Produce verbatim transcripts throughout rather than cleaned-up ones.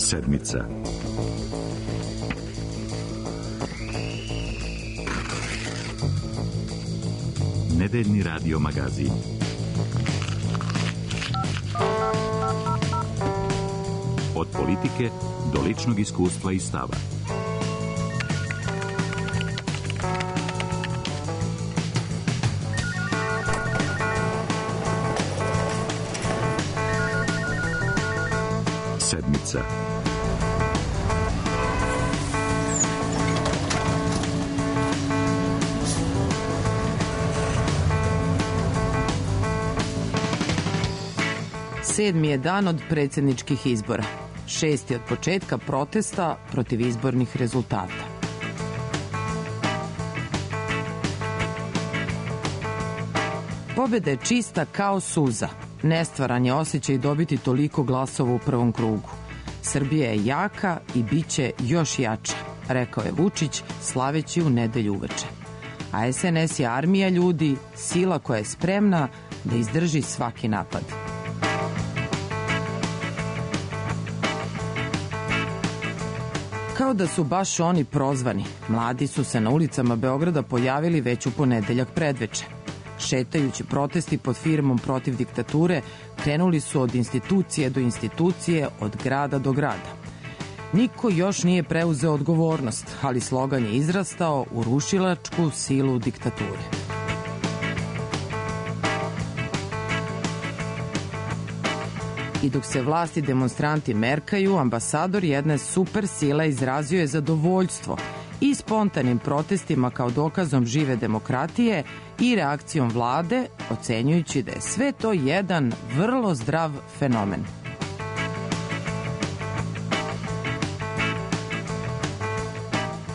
Sedmica. Nedeljni radio magazin. Od politike do ličnog iskustva i stava. Sedmica. Sedmi je dan od predsjedničkih izbora. Šesti od početka protesta protiv izbornih rezultata. Pobjeda je čista kao suza. Nestvaran je osjećaj dobiti toliko glasova u prvom krugu. Srbija je jaka i bit će još jača, rekao je Vučić slaveći u nedelju uveče. A es en es je armija ljudi, sila koja je spremna da izdrži svaki napad. Kao da su baš oni prozvani, mladi su se na ulicama Beograda pojavili već u ponedeljak predveče. Šetajući protesti pod firmom protiv diktature, krenuli su od institucije do institucije, od grada do grada. Niko još nije preuzeo odgovornost, ali slogan je izrastao u rušilačku silu diktature. I dok se vlasti demonstranti merkaju, ambasador jedne super sile izrazio je zadovoljstvo i spontanim protestima kao dokazom žive demokratije i reakcijom vlade, ocenjujući da je sve to jedan vrlo zdrav fenomen.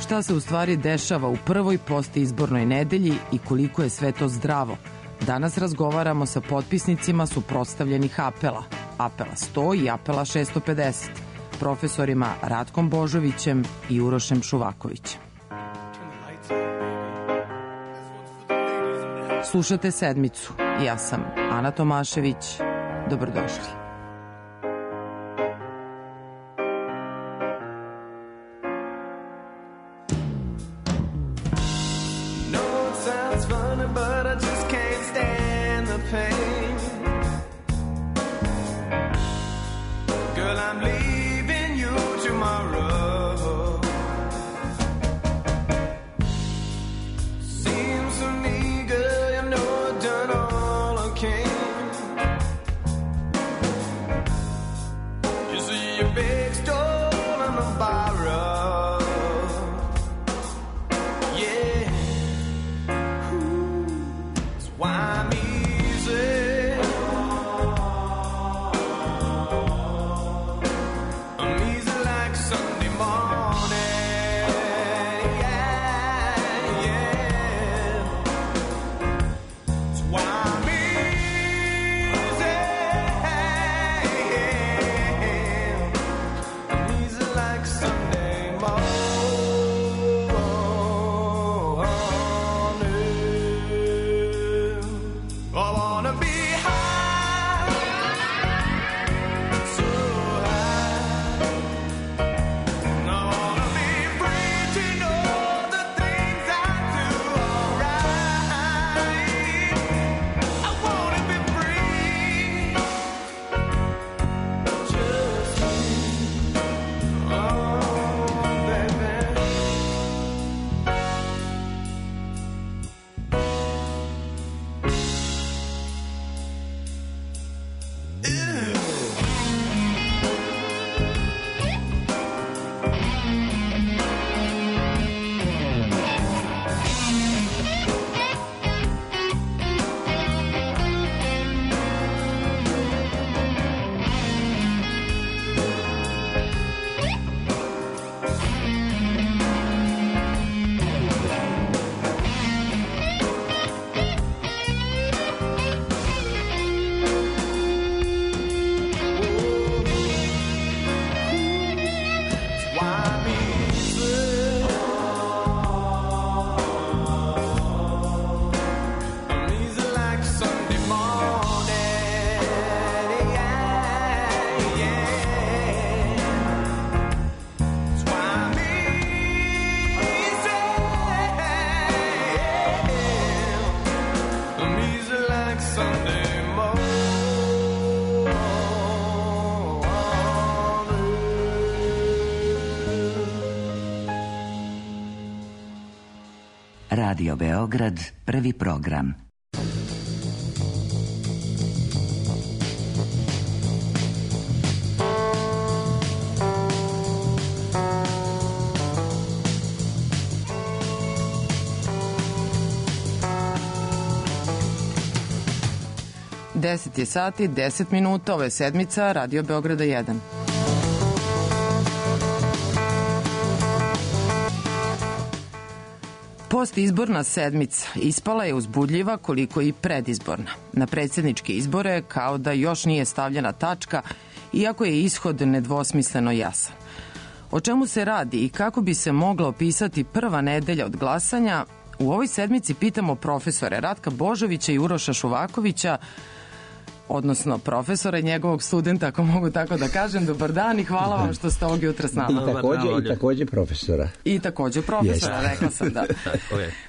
Šta se u stvari dešava u prvoj postizbornoj nedelji i koliko je sve to zdravo? Danas razgovaramo sa potpisnicima suprotstavljenih apela. Apela sto i apela šesto pedeset, profesorima Ratkom Božovićem i Urošem Šuvakovićem. Slušate Sedmicu. Ja sam Ana Tomašević. Dobrodošli. Radio Beograd, prvi program. deset je sati, deset minuta, ovo je sedmica Radio Beograda jedan. Postizborna sedmica ispala je uzbudljiva koliko i predizborna. Na predsjedničke izbore kao da još nije stavljena tačka, iako je ishod nedvosmisleno jasan. O čemu se radi i kako bi se mogla opisati prva nedelja od glasanja, u ovoj sedmici pitamo profesore Ratka Božovića i Uroša Šuvakovića, odnosno profesora i njegovog studenta, ako mogu tako da kažem. Dobar dan i hvala vam što ste ovog jutra s nama. I takođe, i takođe profesora. I takođe profesora, yes. Rekla sam da.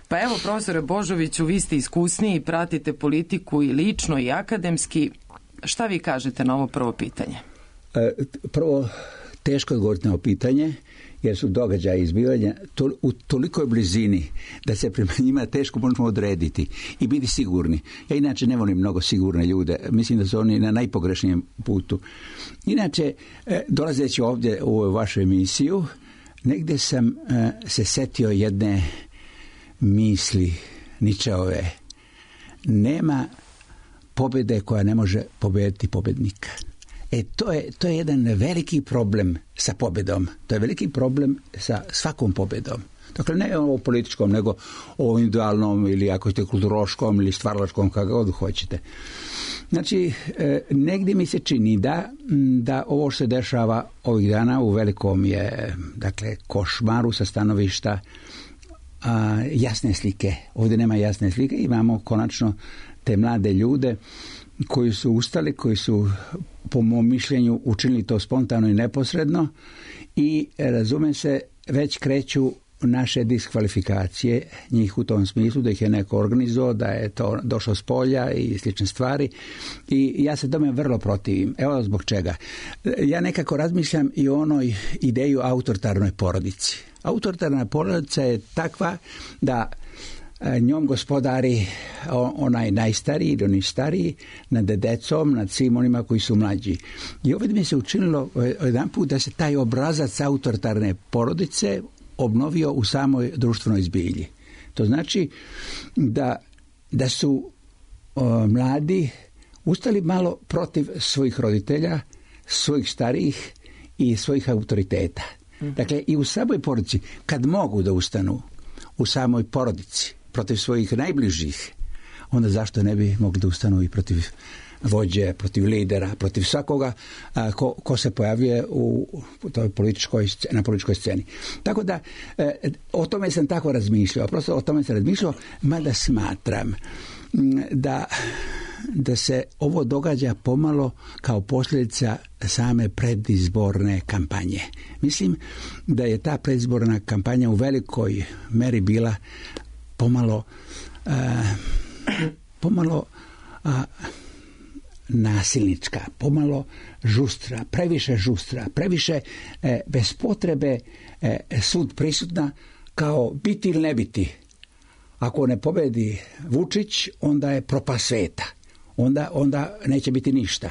Pa evo, profesore Božoviću, vi ste iskusniji, pratite politiku i lično i akademski. Šta vi kažete na ovo prvo pitanje? E, prvo, teško odgovoriti na ovo pitanje, jer su događaje izbivanja to, u tolikoj blizini da se prema njima teško možemo odrediti i biti sigurni. Ja inače ne volim mnogo sigurne ljude. Mislim da su oni na najpogrešnijem putu. Inače, dolazeći ovdje u vašu emisiju, negdje sam se setio jedne misli Ničeove. Nema pobjede koja ne može pobediti pobjednika. E, to je, to je jedan veliki problem sa pobjedom. To je veliki problem sa svakom pobjedom. Dakle, ne o političkom, nego o individualnom ili ako ste kulturoškom ili stvaralačkom, kako god hoćete. Znači, e, negdje mi se čini da, da ovo što se dešava ovih dana u velikom je, dakle, košmaru sa stanovišta a, jasne slike. Ovdje nema jasne slike, imamo konačno te mlade ljude koji su ustali, koji su po mom mišljenju učinili to spontano i neposredno i razume se već kreću naše diskvalifikacije njih u tom smislu da ih je neko organizovao, da je to došlo s polja i slične stvari i ja se tome vrlo protivim. Evo zbog čega. Ja nekako razmišljam i o onoj ideju autoritarnoj porodici. Autoritarna porodica je takva da njom gospodari onaj najstariji ili oni stariji nad decom, nad svim onima koji su mlađi. I ovdje mi se učinilo jedan put da se taj obrazac autoritarne porodice obnovio u samoj društvenoj zbilji. To znači da, da su o, mladi ustali malo protiv svojih roditelja, svojih starijih i svojih autoriteta. Mm-hmm. Dakle, i u samoj porodici, kad mogu da ustanu u samoj porodici protiv svojih najbližih, onda zašto ne bi mogli da ustanu i protiv vođe, protiv lidera, protiv svakoga a, ko, ko se pojavljuje u toj političkoj, na političkoj sceni. Tako da, e, o tome sam tako razmišljao, prosto o tome sam razmišljao, mada smatram da, da se ovo događa pomalo kao posljedica same predizborne kampanje. Mislim da je ta predizborna kampanja u velikoj meri bila pomalo uh, pomalo uh, nasilnička, pomalo žustra, previše žustra, previše eh, bez potrebe eh, sud prisutna kao biti ili ne biti. Ako ne pobedi Vučić, onda je propast sveta. Onda, onda neće biti ništa.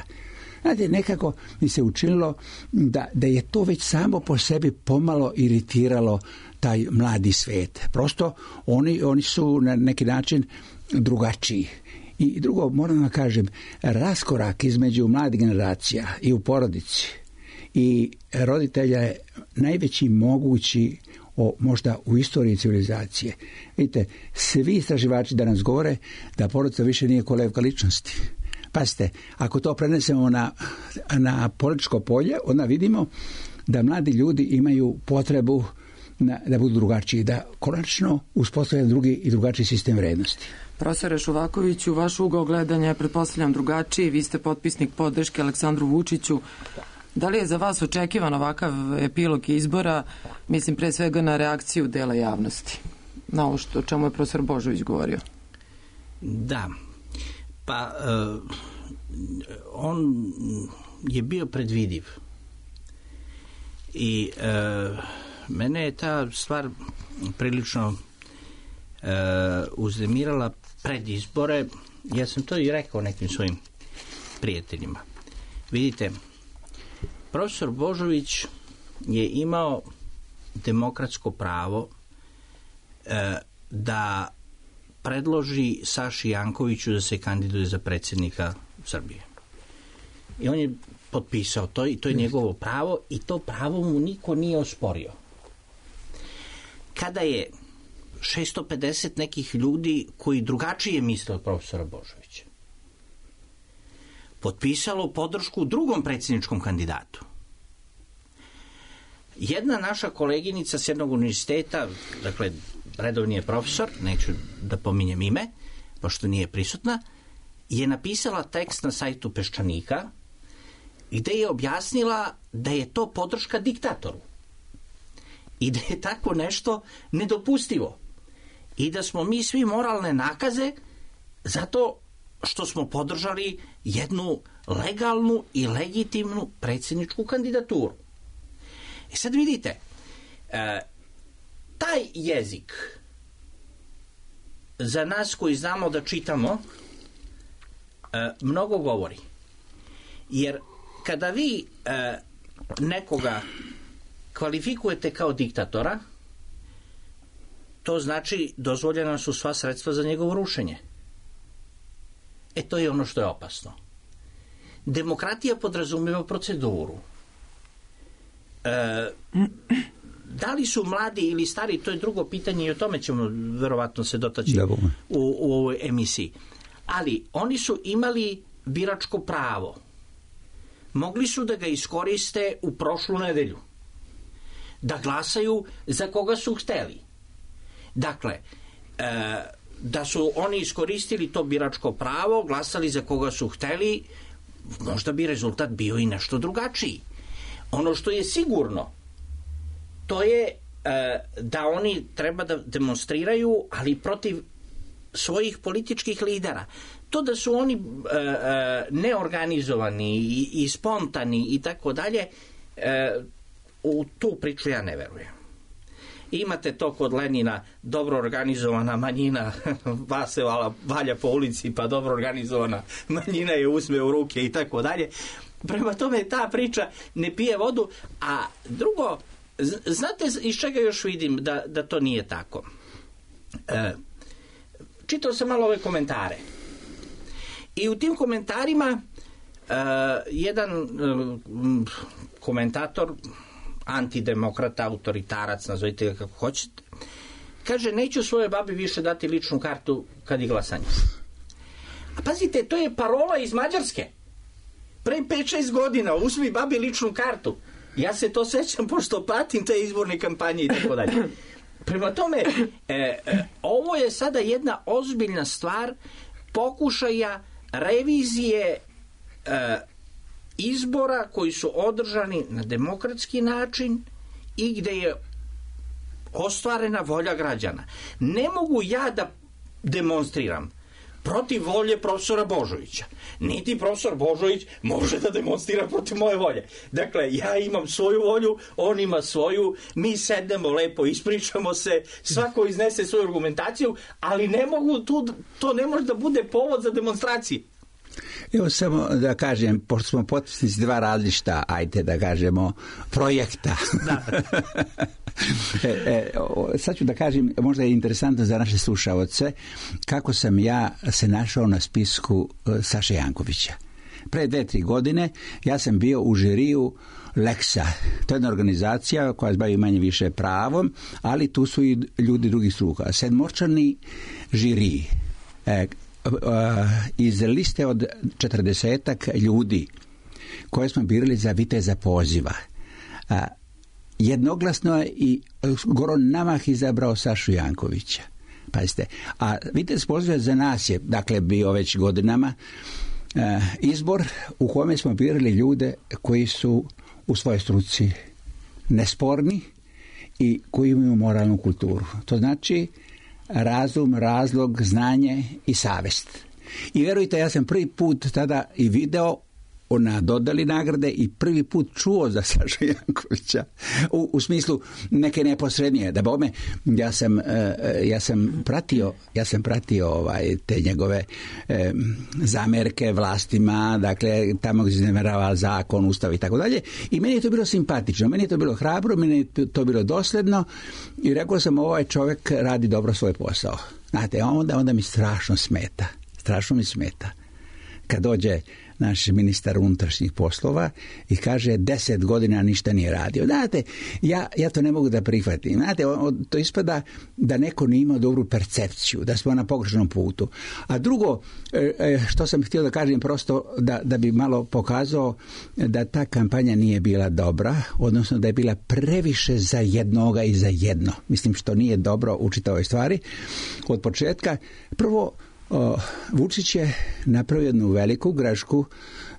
Znate, nekako mi se učinilo da, da je to već samo po sebi pomalo iritiralo taj mladi svet. Prosto oni, oni su na neki način drugačiji. I drugo, moram da kažem, raskorak između mladih generacija i u porodici i roditelja je najveći mogući o, možda u istoriji civilizacije. Vidite, svi istraživači danas govore da porodica više nije kolevka ličnosti. Pazite, ako to prenesemo na, na političko polje, onda vidimo da mladi ljudi imaju potrebu na, da budu drugačiji, da konačno uspostavljaju drugi i drugačiji sistem vrednosti. Profesore Šuvakoviću, vaš ugao gledanja je, pretpostavljam, drugačiji. Vi ste potpisnik podrške Aleksandru Vučiću. Da li je za vas očekivan ovakav epilog izbora, mislim pre svega na reakciju dela javnosti, na ovo što, o čemu je profesor Božović govorio? Da, pa uh, on je bio predvidiv i uh, mene je ta stvar prilično uznemirala pred izbore. Ja sam to i rekao nekim svojim prijateljima. Vidite, profesor Božović je imao demokratsko pravo e, da predloži Saši Jankoviću da se kandiduje za predsjednika Srbije. I on je potpisao to i to je njegovo pravo i to pravo mu niko nije osporio. Kada je šesto pedeset nekih ljudi koji drugačije misle od profesora Božovića potpisalo podršku drugom predsjedničkom kandidatu. Jedna naša koleginica s jednog univerziteta, dakle, redovni je profesor, neću da pominjem ime, pošto nije prisutna, je napisala tekst na sajtu Peščanika gde je objasnila da je to podrška diktatoru i da je tako nešto nedopustivo i da smo mi svi moralne nakaze zato što smo podržali jednu legalnu i legitimnu predsjedničku kandidaturu. I sad vidite, e, taj jezik za nas koji znamo da čitamo e, mnogo govori. Jer kada vi e, nekoga kvalifikujete kao diktatora, to znači dozvoljena su sva sredstva za njegovo rušenje. E to je ono što je opasno. Demokratija podrazumijeva proceduru. E, da li su mladi ili stari, to je drugo pitanje i o tome ćemo verovatno se dotaći u, u ovoj emisiji. Ali oni su imali biračko pravo. Mogli su da ga iskoriste u prošlu nedelju. Da glasaju za koga su hteli. Dakle, e, da su oni iskoristili to biračko pravo, glasali za koga su hteli, možda bi rezultat bio i nešto drugačiji. Ono što je sigurno, to je e, da oni treba da demonstriraju, ali protiv svojih političkih lidera. To da su oni e, e, neorganizovani i, i spontani i tako dalje, u tu priču ja ne verujem. Imate to kod Lenina, dobro organizovana manjina vas se valja po ulici, pa dobro organizovana manjina je uzme u ruke i tako dalje. Prema tome ta priča ne pije vodu, a drugo, znate iz čega još vidim da, da to nije tako? E, čitao sam malo ove komentare i u tim komentarima e, jedan e, komentator, antidemokrata, autoritarac, nazovite ga kako hoćete, kaže, neću svojoj babi više dati ličnu kartu kad je glasanje. A pazite, to je parola iz Mađarske. Pre pet šest godina uzmi babi ličnu kartu. Ja se to sećam pošto pratim te izborne kampanje i tako dalje. Prema tome, e, e, ovo je sada jedna ozbiljna stvar pokušaja revizije e, izbora koji su održani na demokratski način i gde je ostvarena volja građana. Ne mogu ja da demonstriram protiv volje profesora Božovića. Niti profesor Božović može da demonstrira protiv moje volje. Dakle, ja imam svoju volju, on ima svoju, mi sednemo lepo, ispričamo se, svako iznese svoju argumentaciju, ali ne mogu tu, to ne može da bude povod za demonstraciju. Evo samo da kažem, pošto smo potpisnici dva različita, ajte da kažemo, projekta. Da. e, e, sad ću da kažem, možda je interesantno za naše slušaoce, kako sam ja se našao na spisku Saše Jankovića. Pre dve, tri godine ja sam bio u žiriju Leksa. To je jedna organizacija koja se bavi manje više pravom, ali tu su i ljudi drugih struka. Sedmorčani žiriji. E, iz liste od četrdesetak ljudi koje smo birali za viteza poziva, jednoglasno je i Goran Namah izabrao Sašu Jankovića. Pazite, a vitez poziva za nas je, dakle, bio već godinama izbor u kome smo birali ljude koji su u svojoj struci nesporni i koji imaju moralnu kulturu. To znači razum, razlog, znanje i savest. I vjerujte, ja sam prvi put tada i video na dodali nagrade i prvi put čuo za Sašu Jankovića u, u smislu neke neposrednije. Da bome, ja sam, ja sam pratio, ja sam pratio ovaj, te njegove eh, zamerke vlastima, dakle, tamo gdje se izneverava zakon, ustav i tako dalje. I meni je to bilo simpatično, meni je to bilo hrabro, meni je to bilo dosledno i rekao sam, ovaj čovjek radi dobro svoj posao. Znate, onda, onda mi strašno smeta, strašno mi smeta kad dođe naš ministar unutrašnjih poslova i kaže deset godina ništa nije radio. Znate, ja, ja to ne mogu da prihvatim. Znate, to ispada da neko nije imao dobru percepciju, da smo na pogrešnom putu. A drugo, što sam htio da kažem prosto da, da bi malo pokazao da ta kampanja nije bila dobra, odnosno da je bila previše za jednoga i za jedno. Mislim što nije dobro u čitavoj stvari. Od početka, prvo, O, Vučić je napravio jednu veliku grešku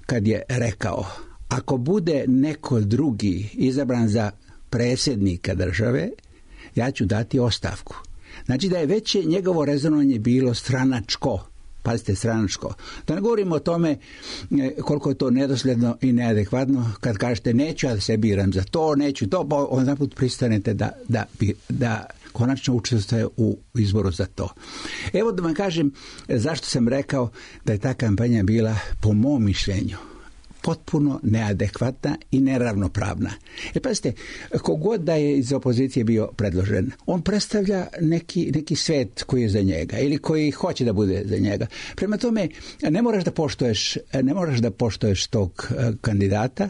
kad je rekao, ako bude neko drugi izabran za predsjednika države, ja ću dati ostavku. Znači da je već njegovo rezonovanje bilo stranačko. Pazite, stranačko. Da ne govorimo o tome koliko je to nedosljedno i neadekvatno kad kažete neću ja da se biram za to, neću to, pa onda put pristanete da, da, da konačno učestvuje u izboru za to. Evo da vam kažem zašto sam rekao da je ta kampanja bila, po mom mišljenju, potpuno neadekvatna i neravnopravna. E pazite, kogod da je iz opozicije bio predložen, on predstavlja neki, neki svet koji je za njega ili koji hoće da bude za njega. Prema tome, ne moraš da poštuješ, ne moraš da poštuješ tog kandidata,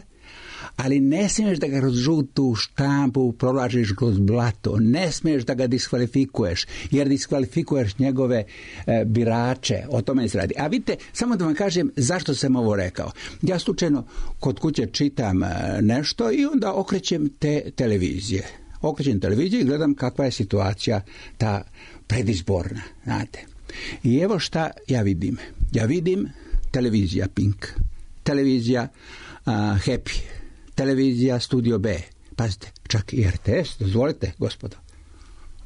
ali ne smiješ da ga kroz žutu štampu provlačiš kroz blato, ne smiješ da ga diskvalifikuješ, jer diskvalifikuješ njegove e, birače, o tome se radi. A vidite, samo da vam kažem zašto sam ovo rekao. Ja slučajno kod kuće čitam e, nešto i onda okrećem te televizije. Okrećem televiziju i gledam kakva je situacija ta predizborna, znate. I evo šta ja vidim. Ja vidim televizija Pink, televizija a, Happy, televizija Studio B. Pazite, čak i R T S, dozvolite, gospodo.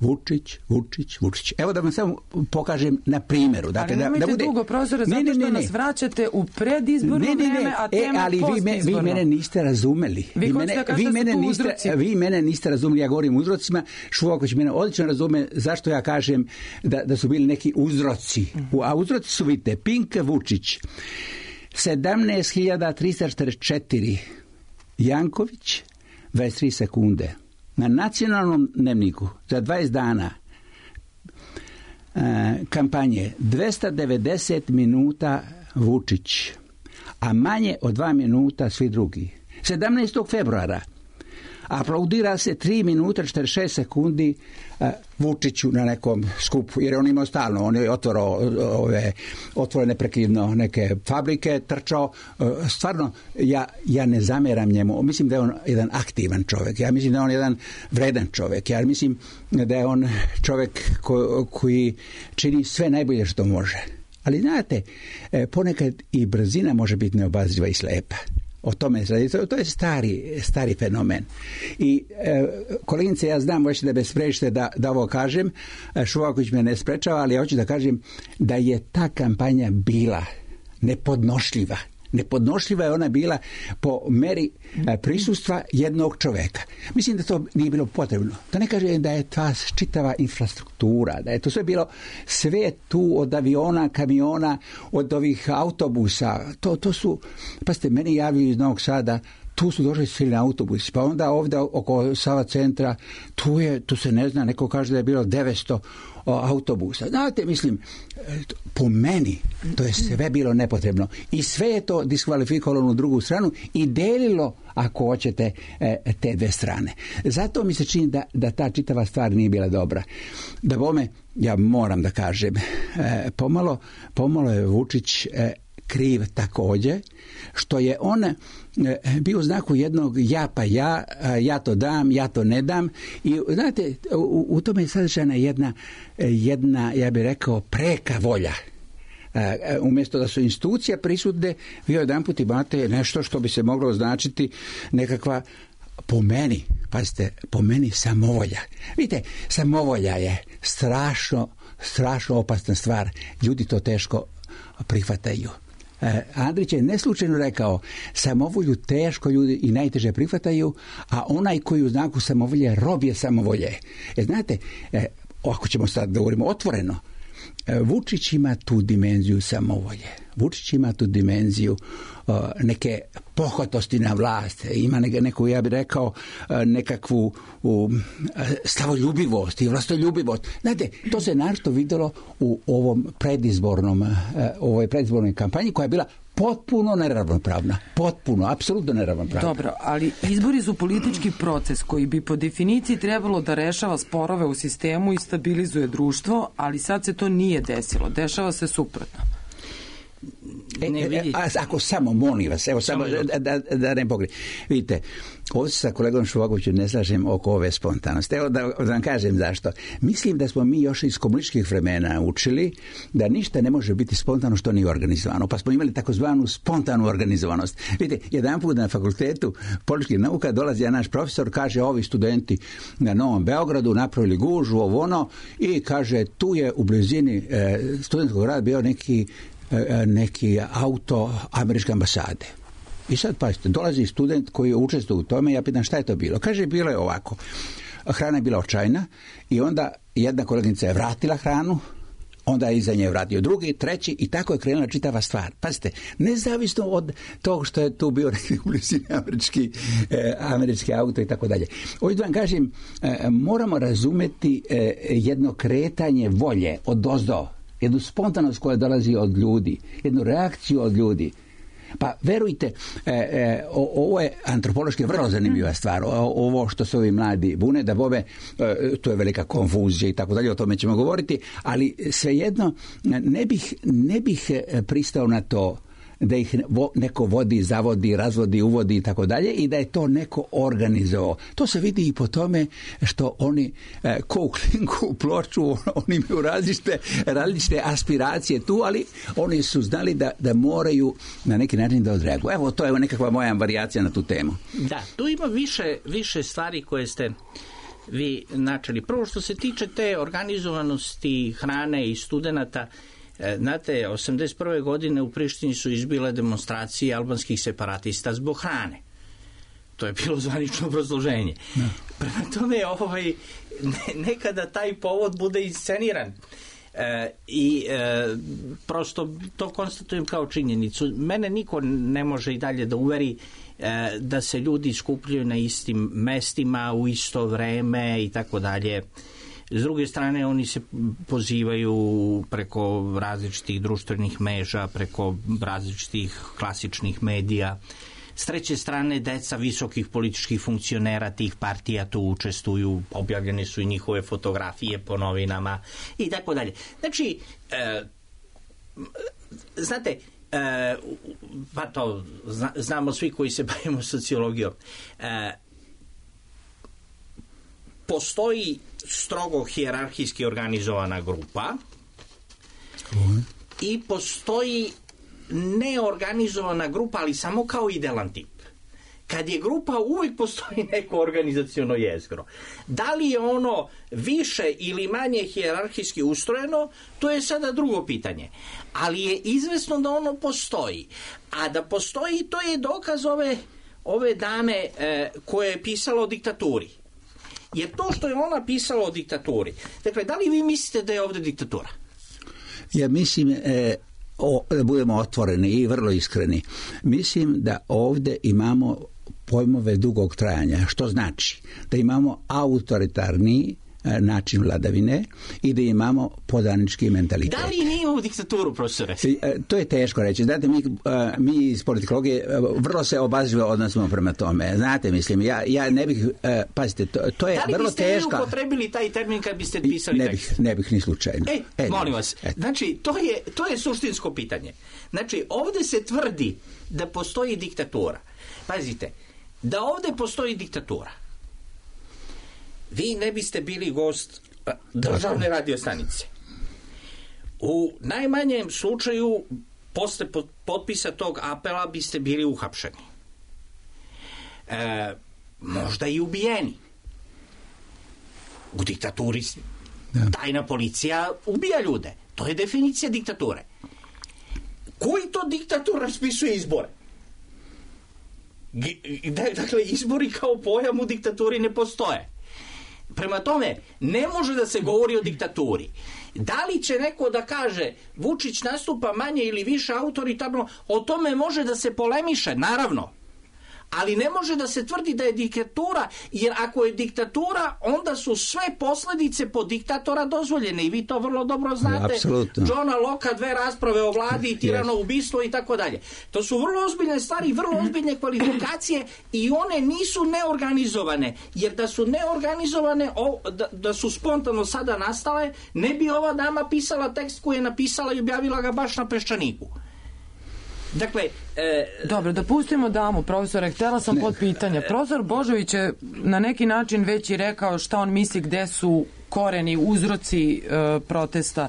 Vučić, Vučić, Vučić. Evo da vam samo pokažem na primjeru. Dakle, ali nemojte da, da bude... dugo, profesore, zato što ne, ne, ne. nas vraćate u predizborno ne, ne, ne. vreme, a tema e, ali vi, me, vi mene niste razumeli. Vi, vi, mene, da vi, mene niste, vi mene niste razumeli, ja govorim o uzrocima. Šuvaković mene odlično razume zašto ja kažem da, da su bili neki uzroci. Mm. A uzroci su, vidite, Pink, Vučić, sedamnaest hiljada trista četrdeset četiri Janković, dvadeset tri sekunde. Na nacionalnom dnevniku za dvadeset dana e, kampanje dvesta devedeset minuta Vučić, a manje od dva minuta svi drugi. sedamnaestog februara aplaudira se tri minuta četrdeset šest sekundi uh, Vučiću na nekom skupu, jer on imao stalno, on je otvorao ove, otvorene neprekidno neke fabrike, trčao, uh, stvarno ja, ja ne zameram njemu, mislim da je on jedan aktivan čovjek, ja mislim da je on jedan vredan čovjek, ja mislim da je on čovjek ko, koji čini sve najbolje što može. Ali znate, ponekad i brzina može biti neobazriva i slepa. O tome se radi. To je stari, stari fenomen. I e, koleginice, ja znam, hoćete da me sprečite da, da ovo kažem, Šuvaković me ne sprečava, ali ja hoću da kažem da je ta kampanja bila nepodnošljiva. Nepodnošljiva je ona bila po meri prisustva jednog čoveka. Mislim da to nije bilo potrebno. Da ne kažem da je ta čitava infrastruktura, da je to sve bilo, sve tu od aviona, kamiona, od ovih autobusa. To, to su, pa ste meni javili iz Novog Sada, tu su došli svi na autobusi, pa onda ovdje oko Sava centra, tu, je, tu se ne zna, neko kaže da je bilo devetsto autobusa. Znate, mislim, po meni to je sve bilo nepotrebno i sve je to diskvalifikovalo na drugu stranu i delilo, ako hoćete, te dve strane. Zato mi se čini da, da ta čitava stvar nije bila dobra. Da bome, ja moram da kažem, pomalo, pomalo je Vučić kriv također, što je on bio u znaku jednog ja pa ja, ja to dam, ja to ne dam i znate, u, u tome je sadržana jedna, jedna, ja bih rekao, preka volja. Umjesto da su institucije prisutne, vi jedan put imate nešto što bi se moglo označiti nekakva, po meni, pazite, po meni samovolja. Vidite, samovolja je strašno, strašno opasna stvar. Ljudi to teško prihvataju. Andrić je neslučajno rekao, samovolju teško ljudi i najteže prihvataju, a onaj koji u znaku samovolje rob je samovolje. E, znate, ako ćemo sad da govorimo otvoreno, Vučić ima tu dimenziju samovolje. Vučić ima tu dimenziju uh, neke pohvatosti na vlast. Ima neke, neku, ja bih rekao, uh, nekakvu uh, slavoljubivost i vlastoljubivost. Znate, to se našto vidjelo u ovom predizbornom, uh, ovoj predizbornoj kampanji koja je bila potpuno neravnopravna. Potpuno, apsolutno neravnopravna. Dobro, ali izbori su politički proces koji bi po definiciji trebalo da rešava sporove u sistemu i stabilizuje društvo, ali sad se to nije desilo. Dešava se suprotno. E, e, a, ako samo, molim vas, evo samo, samo da, da, da ne pogledam. Vidite, ovdje sa kolegom Švogovićem ne slažem oko ove spontanosti. Evo da, da vam kažem zašto. Mislim da smo mi još iz komunističkih vremena učili da ništa ne može biti spontano što nije organizovano. Pa smo imali takozvanu spontanu organizovanost. Vidite, jedan put na fakultetu političkih nauka dolazi jedan naš profesor, kaže ovi studenti na Novom Beogradu napravili gužu, ovo ono, i kaže tu je u blizini e, studentskog grada bio neki neki auto američke ambasade. I sad, pazite, dolazi student koji je učestvovao u tome, ja pitam šta je to bilo. Kaže, bilo je ovako. Hrana je bila očajna i onda jedna koleginica je vratila hranu, onda je iza nje vratio drugi, treći i tako je krenula čitava stvar. Pazite, nezavisno od tog što je tu bio neki u blizini američki, eh, američki auto i tako dalje. Ovdje da vam kažem, eh, moramo razumeti eh, jedno kretanje volje od ozdo, jednu spontanost koja dolazi od ljudi, jednu reakciju od ljudi. Pa verujte, e, e, o, ovo je antropološki vrlo zanimljiva stvar. O, ovo što se ovi mladi bune, da bome, e, to je velika konfuzija i tako dalje, o tome ćemo govoriti, ali svejedno ne bih, ne bih pristao na to da ih neko vodi, zavodi, razvodi, uvodi i tako dalje i da je to neko organizovao. To se vidi i po tome što oni e, ko u klinku u ploču, oni imaju različite, različite aspiracije tu, ali oni su znali da, da moraju na neki način da odreaguju. Evo, to je nekakva moja varijacija na tu temu. Da, tu ima više, više stvari koje ste vi načeli. Prvo što se tiče te organizovanosti hrane i studenata, znate, osamdeset prve godine u Prištini su izbile demonstracije albanskih separatista zbog hrane. To je bilo zvanično obrazloženje. No. Prema tome, ovaj, ne, nekada taj povod bude insceniran. E, I e, prosto to konstatujem kao činjenicu. Mene niko ne može i dalje da uveri e, da se ljudi skupljaju na istim mestima u isto vreme i tako dalje. S druge strane, oni se pozivaju preko različitih društvenih mreža, preko različitih klasičnih medija. S treće strane, deca visokih političkih funkcionera tih partija tu učestvuju, objavljene su i njihove fotografije po novinama i tako dalje. Znači, e, znate, e, pa to zna, znamo svi koji se bavimo sociologijom, e, postoji strogo hijerarhijski organizovana grupa i postoji neorganizovana grupa, ali samo kao idealan tip. Kad je grupa, uvijek postoji neko organizaciono jezgro. Da li je ono više ili manje hijerarhijski ustrojeno, to je sada drugo pitanje. Ali je izvesno da ono postoji. A da postoji, to je dokaz ove, ove dame e, koje je pisala o diktaturi. Jer to što je ona pisala o diktaturi. Dakle, da li vi mislite da je ovdje diktatura? Ja mislim, e, o, da budemo otvoreni i vrlo iskreni, mislim da ovdje imamo pojmove dugog trajanja, što znači da imamo autoritarni način vladavine i da imamo podanički mentalitet. Da li nije imamo diktaturu, profesore? To je teško reći. Znate, mi, mi iz politikologije vrlo se obazrivo odnosimo prema tome. Znate, mislim, ja, ja ne bih, pazite, to, to je vrlo teško. Da li biste vi upotrebili taj termin kad biste pisali ne tekst? Bih, ne bih ni slučajno. E, e molim vas, et. Znači, to je, to je suštinsko pitanje. Znači, ovdje se tvrdi da postoji diktatura. Pazite, da ovdje postoji diktatura, vi ne biste bili gost državne radiostanice. U najmanjem slučaju, posle potpisa tog apela, biste bili uhapšeni. E, možda i ubijeni. U diktaturi tajna policija ubija ljude. To je definicija diktature. Koji to diktator raspisuje izbore? Dakle, izbori kao pojam u diktaturi ne postoje. Prema tome, ne može da se govori o diktaturi. Da li će neko da kaže Vučić nastupa manje ili više autoritarno, o tome može da se polemiše, naravno. Ali ne može da se tvrdi da je diktatura, jer ako je diktatura, onda su sve posledice po diktatora dozvoljene i vi to vrlo dobro znate. Apsolutno. Johna Locke, dve rasprave o vladi i tirano ubistvo i tako dalje. To su vrlo ozbiljne stvari, vrlo ozbiljne kvalifikacije i one nisu neorganizovane, jer da su neorganizovane, da, da su spontano sada nastale, ne bi ova dama pisala tekst koji je napisala i objavila ga baš na Peščaniku. Dakle, e... Dobro, da pustimo damu, profesore, htjela sam pod pitanje. Profesor Božović je na neki način već i rekao šta on misli gde su koreni, uzroci e, protesta.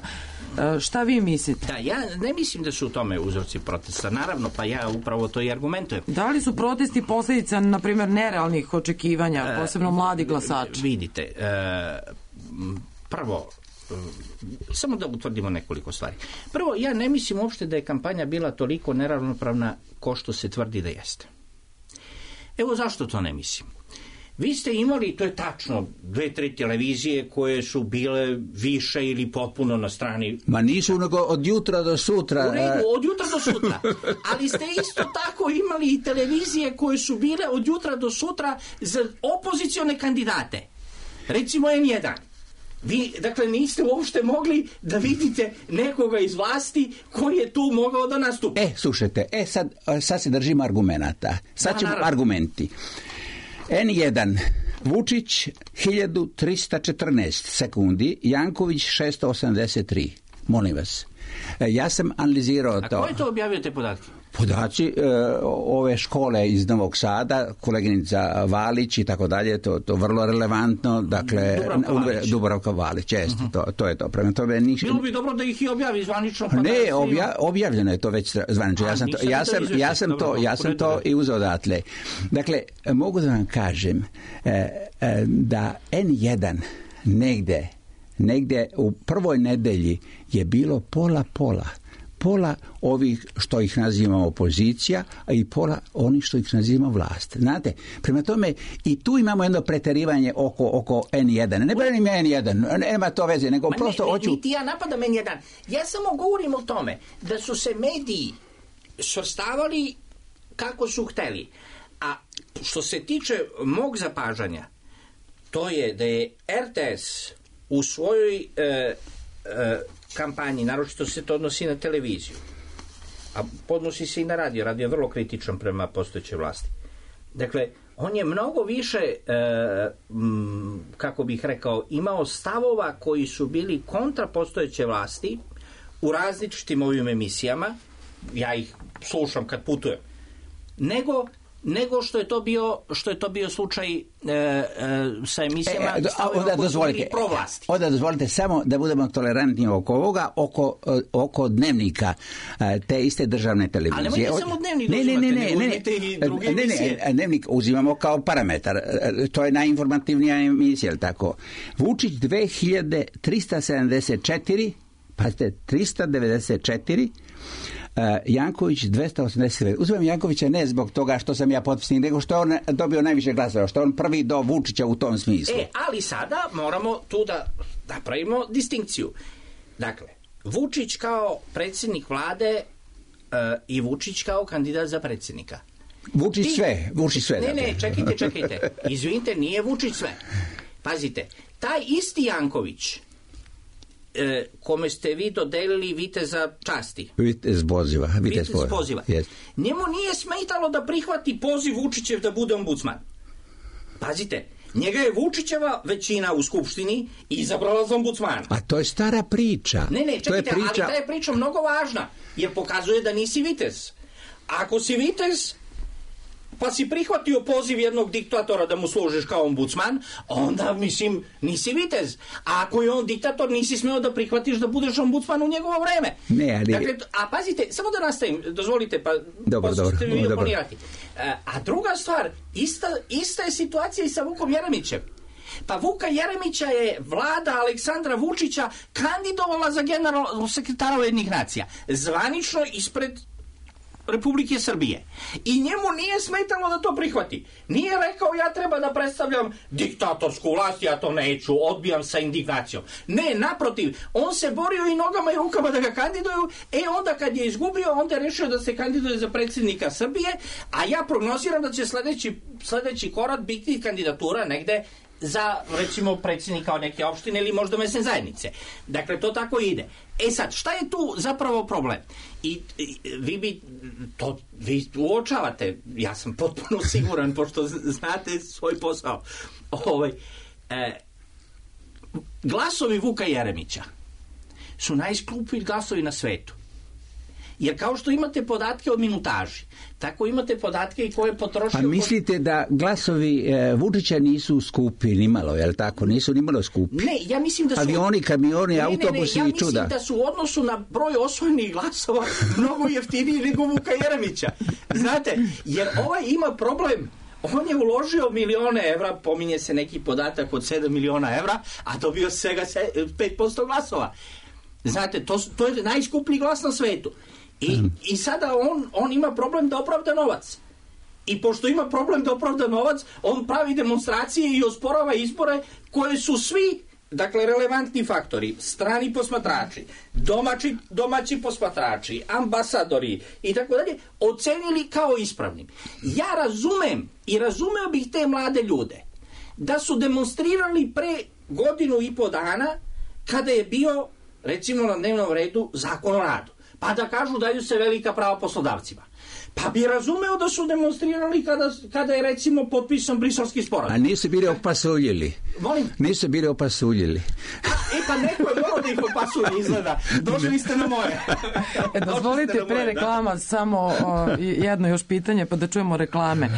E, šta vi mislite? Da, ja ne mislim da su u tome uzroci protesta, naravno, pa ja upravo to i argumentujem. Da li su protesti posljedica, na primjer, nerealnih očekivanja, posebno mladi glasači? E, vidite, e, prvo, samo da utvrdimo nekoliko stvari. Prvo, ja ne mislim uopšte da je kampanja bila toliko neravnopravna ko što se tvrdi da jeste. Evo zašto to ne mislim. Vi ste imali, to je tačno, dve, tri televizije koje su bile više ili potpuno na strani... Ma nisu nego od jutra do sutra. U redu, od jutra do sutra. Ali ste isto tako imali i televizije koje su bile od jutra do sutra za opozicione kandidate. Recimo N jedan. Vi, dakle, niste uopšte mogli da vidite nekoga iz vlasti koji je tu mogao da nastupi. E, slušajte, e, sad, sad se držimo argumenata. Sad ćemo argumenti. N jedan, Vučić hiljadu trista četrnaest sekundi, Janković šesto osamdeset tri. Molim vas. Ja sam analizirao to. A ko je to objavio te podatke? Podaci e, ove škole iz Novog Sada, koleginica Valić i tako dalje, to to vrlo relevantno, dakle Dubravka Valić, Dubravka Valić jeste, uh-huh. to, to je to. Prema tome niš... Bilo bi dobro da ih i objavi zvanično. Pa ne, da obja, objavljeno je to već zvanično. Ja sam to, ja sam, ja sam to, ja sam to i uzeo odatle. Dakle, mogu da vam kažem e, e, da N jedan negde, negde u prvoj nedelji je bilo pola pola. Pola ovih što ih nazivamo opozicija, a i pola onih što ih nazivamo vlast. Znate, prema tome i tu imamo jedno preterivanje oko, oko N jedan. Ne branim ja N jedan, nema to veze, nego Ma prosto ne, hoću... Niti ja napadam N jedan. Ja samo govorim o tome da su se mediji svrstavali kako su hteli. A što se tiče mog zapažanja, to je da je R T S u svojoj... E, e, kampanji, naročito se to odnosi na televiziju, a podnosi se i na radio. Radio je vrlo kritičan prema postojećoj vlasti. Dakle, on je mnogo više, e, m, kako bih rekao, imao stavova koji su bili kontra postojeće vlasti u različitim ovim emisijama, ja ih slušam kad putujem, nego nego što je to bio što je to bio slučaj e, e, sa emisijama e, onda dozvolite provlasti. Onda dozvolite samo da budemo tolerantni oko ovoga, oko, oko dnevnika te iste državne televizije. Ali nemojte samo dnevnik ne, uzimate, ne, ne, ne, ne, i druge ne, emisije. Ne, dnevnik uzimamo kao parametar. To je najinformativnija emisija, tako. Vučić dve hiljade trista sedamdeset četiri, pazite, trista devedeset četiri, Uh, Janković dvesta osamdeset devet. Uzmem Jankovića ne zbog toga što sam ja potpisnik, nego što je on dobio najviše glasova, što je on prvi do Vučića u tom smislu. E, ali sada moramo tu da napravimo distinkciju. Dakle, Vučić kao predsjednik vlade uh, i Vučić kao kandidat za predsjednika. Vučić Ti... sve, Vučić sve. Ne, dakle. ne, čekajte, čekajte. Izvinite, nije Vučić sve. Pazite, taj isti Janković, E, kome ste vi dodelili viteza časti. Vitez poziva. Vitez, vitez poziva. Yes. Njemu nije smetalo da prihvati poziv Vučićev da bude ombudsman. Pazite, njega je Vučićeva većina u Skupštini izabrala za ombudsmana. A to je stara priča. Ne, ne, čekajte, to je priča... ali ta je priča mnogo važna, jer pokazuje da nisi vitez. Ako si vitez, pa si prihvatio poziv jednog diktatora da mu služiš kao ombudsman, onda, mislim, nisi vitez. A ako je on diktator, nisi smeo da prihvatiš da budeš ombudsman u njegovo vreme. Ne, ali... Dakle, a pazite, samo da nastavim, dozvolite, pa dobro, dobro, ćete mi dobro. oponirati. A druga stvar, ista, ista je situacija i sa Vukom Jeremićem. Pa Vuka Jeremića je vlada Aleksandra Vučića kandidovala za generalnog sekretara Ujedinjenih nacija. Zvanično ispred Republike Srbije. I njemu nije smetalo da to prihvati. Nije rekao ja treba da predstavljam diktatorsku vlast, ja to neću, odbijam sa indignacijom. Ne, naprotiv, on se borio i nogama i rukama da ga kandiduju, e onda kad je izgubio, onda je rešio da se kandiduje za predsjednika Srbije, a ja prognoziram da će sledeći, sledeći korak biti kandidatura negde za, recimo, predsjednika neke opštine ili možda mesne zajednice. Dakle, to tako ide. E sad, šta je tu zapravo problem? I, i vi bi to, vi uočavate, ja sam potpuno siguran, pošto znate svoj posao. Ovaj, e, glasovi Vuka Jeremića su najskuplji glasovi na svetu. Jer kao što imate podatke o minutaži, tako imate podatke i koje potrošio... A mislite da glasovi e, Vučića nisu skupi nimalo, je li tako? Nisu nimalo skupi? Ne, ja mislim da su... Avioni, kamioni, ne, autobusi ne, ne, i čuda. Ja mislim da su u odnosu na broj osvojenih glasova mnogo jeftiniji nego Vuka Jeremića. Znate, jer ovaj ima problem. On je uložio milione evra, pominje se neki podatak od sedam miliona evra, a dobio svega pet posto glasova. Znate, to, to je najskuplji glas na svetu. I, i sada on, on ima problem da opravda novac. I pošto ima problem da opravda novac, on pravi demonstracije i osporava izbore koje su svi, dakle, relevantni faktori, strani posmatrači, domaći, domaći posmatrači, ambasadori i tako dalje, ocenili kao ispravnim. Ja razumem i razumeo bih te mlade ljude da su demonstrirali pre godinu i po dana kada je bio, recimo, na dnevnom redu Zakon o radu. Pa da kažu daju se velika prava poslodavcima. Pa bi razumeo da su demonstrirali kada, kada je, recimo, potpisan Briselski sporazum. A nisu bili opasuljili. Volim? Nisu bili opasuljili. E pa neko je morao da ih opasulji, izgleda. Došli ste na moje. E, dozvolite pre moje, reklama da. samo o, jedno još pitanje, pa da čujemo reklame.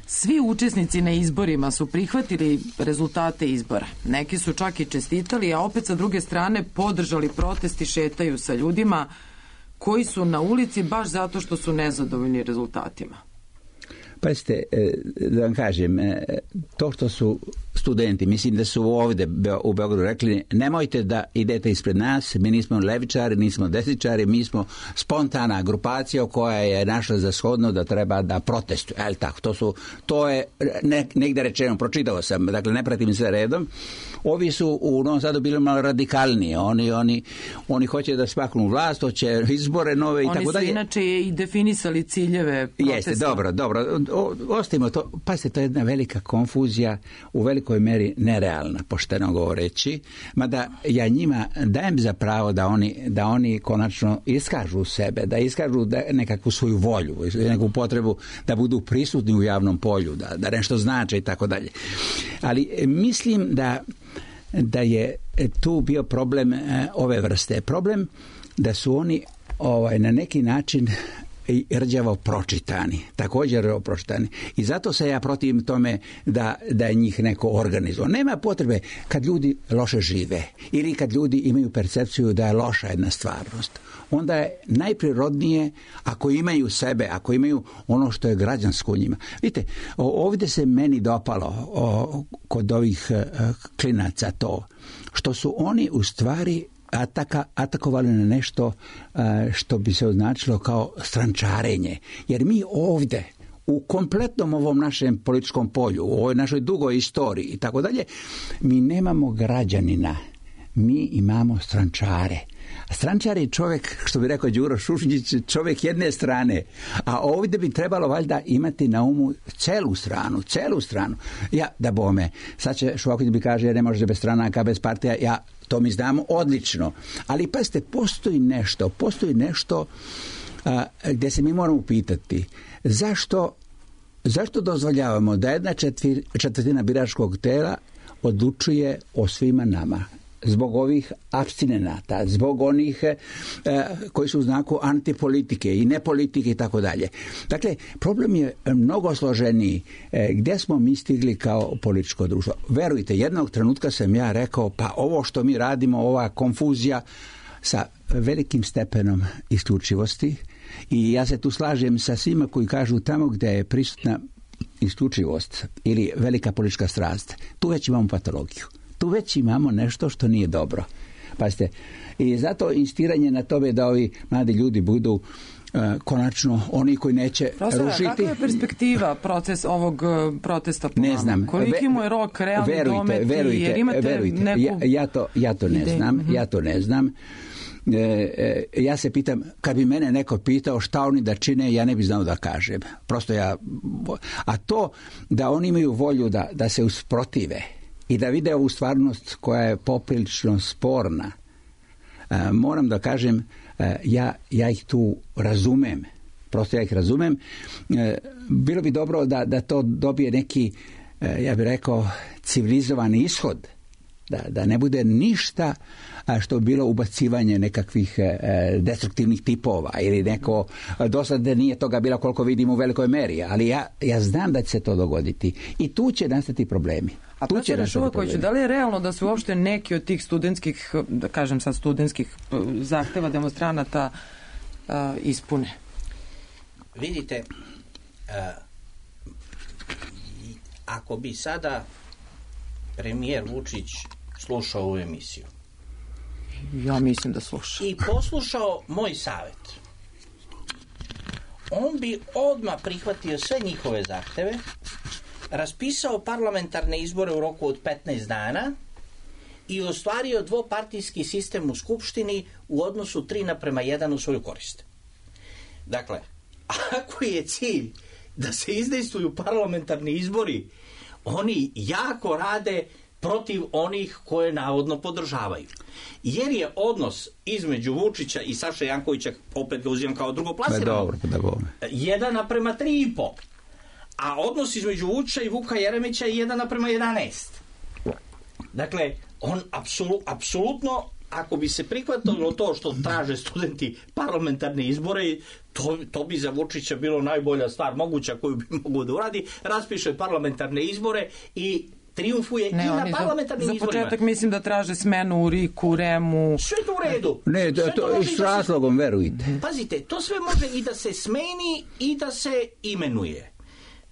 Svi učesnici na izborima su prihvatili rezultate izbora. Neki su čak i čestitali, a opet sa druge strane podržali protest i šetaju sa ljudima koji su na ulici baš zato što su nezadovoljni rezultatima. Pazite, da vam kažem, to što su studenti, mislim da su ovdje u Beogradu rekli, nemojte da idete ispred nas, mi nismo levičari, nismo desničari, mi smo spontana grupacija koja je našla za shodno da treba da protestuje. Ali tako, to, su, to je ne, negdje rečeno, pročitao sam, dakle ne pratim sve redom. Ovi su u Novom Sadu bili malo radikalniji, oni, oni, oni hoće da spaknu vlast, hoće izbore nove i oni tako dalje. Oni su inače i definisali ciljeve protesta. Jeste, dobro, dobro, o, ostavimo to, pazite, to je jedna velika konfuzija, u velikoj meri nerealna, pošteno govoreći, mada ja njima dajem za pravo da oni, da oni konačno iskažu sebe, da iskažu da nekakvu svoju volju, neku potrebu da budu prisutni u javnom polju, da, da nešto znače i tako dalje. Ali mislim da da je tu bio problem e, ove vrste. Problem da su oni ovaj, na neki način i rđavo pročitani, također rđavo pročitani. I zato se ja protivim tome da, da je njih neko organizuje. Nema potrebe kad ljudi loše žive ili kad ljudi imaju percepciju da je loša jedna stvarnost. Onda je najprirodnije ako imaju sebe, ako imaju ono što je građansko u njima. Vidite, ovdje se meni dopalo o, kod ovih klinaca to, što su oni u stvari Ataka, atakovali na nešto što bi se označilo kao strančarenje. Jer mi ovdje u kompletnom ovom našem političkom polju, u ovoj našoj dugoj istoriji i tako dalje, mi nemamo građanina, mi imamo strančare. A strančar je čovjek, što bi rekao Đuro Šušnjić, čovjek jedne strane, a ovdje bi trebalo valjda imati na umu celu stranu, celu stranu. Ja, da bome, sad će Šuvaković bi kaže, ne može bez stranaka, bez partija, ja to mi znamo odlično. Ali pazite, postoji nešto, postoji nešto a, gdje se mi moramo pitati zašto, zašto dozvoljavamo da jedna četvir, četvrtina biračkog tela odlučuje o svima nama. Zbog ovih apstinenata, zbog onih e, koji su u znaku antipolitike i nepolitike i tako dalje. Dakle, problem je mnogo složeniji. E, gdje smo mi stigli kao političko društvo? Verujte, jednog trenutka sam ja rekao, pa ovo što mi radimo, ova konfuzija sa velikim stepenom isključivosti, i ja se tu slažem sa svima koji kažu tamo gdje je prisutna isključivost ili velika politička strast, tu već imamo patologiju. Tu već imamo nešto što nije dobro. Pazite, i zato insistiranje na tome da ovi mladi ljudi budu uh, konačno oni koji neće Profesor, rušiti. Kakva je perspektiva proces ovog uh, protesta po ne vama? znam. Koliki mu je rok realni verujte, dometi? Verujte, jer imate verujte. neku Ja, ja, to, ja to ne ideju. znam. Mm-hmm. Ja to ne znam. E, e, ja se pitam, kad bi mene neko pitao šta oni da čine, ja ne bi znao da kažem. Prosto ja... A to da oni imaju volju da, da se usprotive i da vide ovu stvarnost koja je poprilično sporna, e, moram da kažem, e, ja, ja ih tu razumem. Prosto ja ih razumem. E, bilo bi dobro da, da to dobije neki, e, ja bih rekao, civilizovani ishod. Da, da ne bude ništa što bi bilo ubacivanje nekakvih e, destruktivnih tipova ili neko, do sada nije toga bilo koliko vidimo u velikoj meri, ali ja, ja znam da će se to dogoditi i tu će nastati problemi. A profesore Šuvakoviću, da li je realno da su uopšte neki od tih studentskih, da kažem sad studentskih zahteva demonstranata uh, ispune? Vidite, uh, ako bi sada premijer Vučić slušao ovu emisiju, ja mislim da sluša, i poslušao moj savjet, on bi odmah prihvatio sve njihove zahteve, raspisao parlamentarne izbore u roku od petnaest dana i ostvario dvopartijski sistem u Skupštini u odnosu tri naprema jedan u svoju korist. Dakle, ako je cilj da se izdejstvuju parlamentarni izbori, oni jako rade protiv onih koje navodno podržavaju. Jer je odnos između Vučića i Saše Jankovića, opet ga uzimam kao drugoplasiranog, jedan naprema tri i po. A odnos između Vučića i Vuka Jeremića je jedan naprema jedanaest. Dakle, on apsolu, apsolutno, ako bi se prihvatilo to što traže studenti parlamentarne izbore, to, to bi za Vučića bilo najbolja stvar moguća koju bi mogao da uradi, raspiše parlamentarne izbore i triumfuje ne, i na parlamentarnim za, izborima. Za početak mislim da traže smenu u Riku, u Remu. Sve to u redu. Ne, da, to, to s razlogom, verujte. Pazite, to sve može i da se smeni i da se imenuje.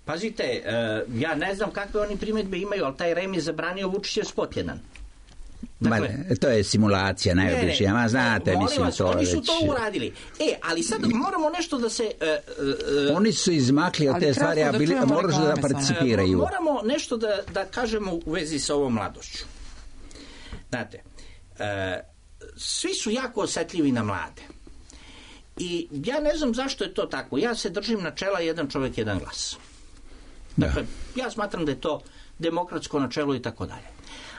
Pazite, uh, ja ne znam kakve oni primjedbe imaju, ali taj Rem je zabranio Vučićev spot jedan. Dakle, Ma, to je simulacija najobičnija, ma znate, mislim vas, to oni su već... to uradili. E, ali sad moramo nešto da se... Uh, uh, oni su izmakli od te stvari, a da bili, moraju da participiraju. Uh, moramo nešto da, da kažemo u vezi sa ovom mladošću. Znate, uh, svi su jako osetljivi na mlade. I ja ne znam zašto je to tako. Ja se držim načela jedan čovjek, jedan glas. Dakle, ja smatram da je to demokratsko načelo i tako dalje.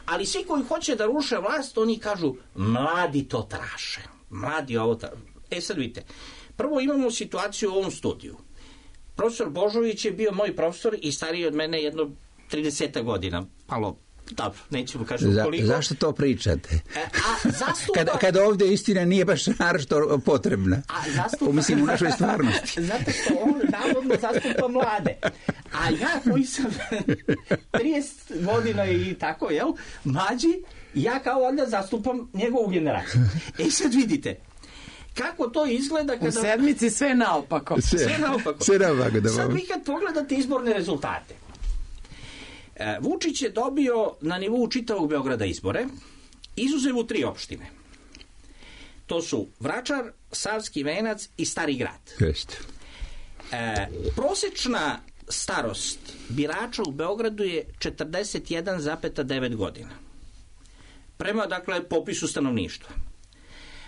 Ali svi koji hoće da ruše vlast, oni kažu, mladi to traže. Mladi ovo traže. E sad vidite, prvo imamo situaciju u ovom studiju. Profesor Božović je bio moj profesor i stariji od mene jedno trideset godina. Malo, dobro, nećemo kažem Za, koliko. Zašto to pričate? E, a zastupa... Kad, kad ovdje istina nije baš naročito potrebna. A zastupa... Mislim, u našoj stvarnosti. Zato što on navodno zastupa mlade. A ja koji sam trideset godina i tako, jel, mlađi, ja kao onda zastupam njegovu generaciju. E sad vidite, kako to izgleda kada... U sedmici sve naopako. Sve, sve naopako. Sve naopako da sad vi kad pogledate izborne rezultate, Vučić je dobio na nivou čitavog Beograda izbore, izuzev u tri opštine. To su Vračar, Savski Venac i Stari Grad. Jeste. E, prosečna starost birača u Beogradu je četrdeset jedan zarez devet godina. Prema, dakle, popisu stanovništva.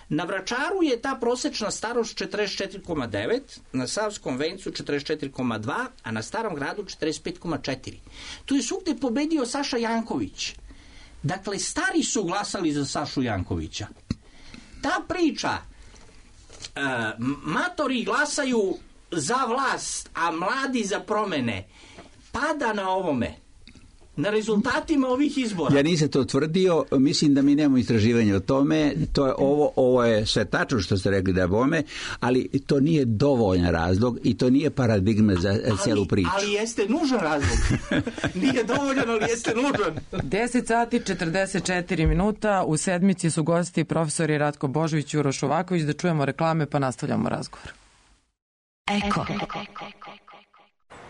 Na Vračaru je ta prosečna starost četrdeset četiri zarez devet, na Savskom Vencu četrdeset četiri zarez dva, a na Starom Gradu četrdeset pet zarez četiri. Tu je svugde pobedio Saša Janković. Dakle, stari su glasali za Sašu Jankovića. Ta priča, uh, matori glasaju za vlast, a mladi za promene, pada na ovome, na rezultatima ovih izbora. Ja nisam to tvrdio, mislim da mi nemamo istraživanja o tome, to je ovo, ovo je sve tačno što ste rekli da je bome, ali to nije dovoljan razlog i to nije paradigma za ali, cijelu priču. Ali jeste nužan razlog. Nije dovoljan, ali jeste nužan. deset sati četrdeset četiri minuta, u sedmici su gosti profesori Ratko Božović i Uroš Šuvaković, da čujemo reklame pa nastavljamo razgovor. Eko.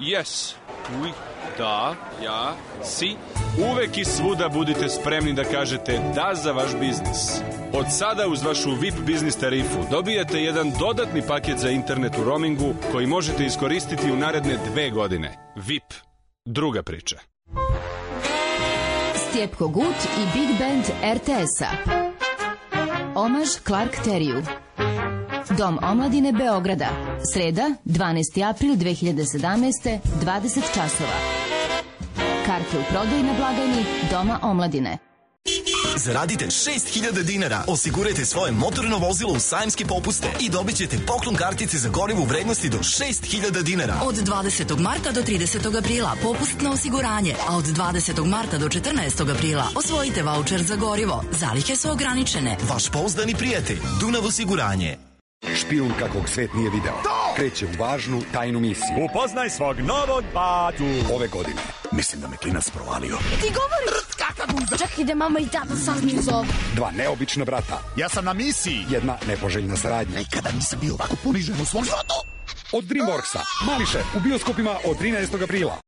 Yes. Oui. Da. Ja. Si. Uvek i svuda budite spremni da kažete da za vaš biznis. Od sada uz vašu V I P biznis tarifu dobijate jedan dodatni paket za internet u roamingu koji možete iskoristiti u naredne dve godine. V I P. Druga priča. Stjepko Gut i Big Band er te es-a. Omaž Clark Teriju. Dom omladine Beograda. Sreda, dvanaesti april dve hiljade sedamnaeste, dvadeset časova. Karte u prodaji na blagajni Doma omladine. Zaradite šest hiljada dinara, osigurajte svoje motorno vozilo u sajamske popuste i dobit ćete poklon kartice za gorivo u vrednosti do šest hiljada dinara. Od dvadesetog marta do tridesetog aprila popust na osiguranje, a od dvadesetog marta do četrnaestog aprila osvojite vaučer za gorivo. Zalihe su ograničene. Vaš pouzdani prijatelj, Dunav osiguranje. Špijun kakvog svet nije video. Kreće u važnu tajnu misiju. Upoznaj svog novog batu. Ove godine. Mislim da me klinac provalio. Ti govoriš kakav guza. Čekaj da mama i tata sazniju za ovo. Dva neobična brata. Ja sam na misiji. Jedna nepoželjna saradnja. Nikada nisam bio ovako ponižen u svom životu. Od Dreamworksa. Mali šef u bioskopima od trinaestog aprila.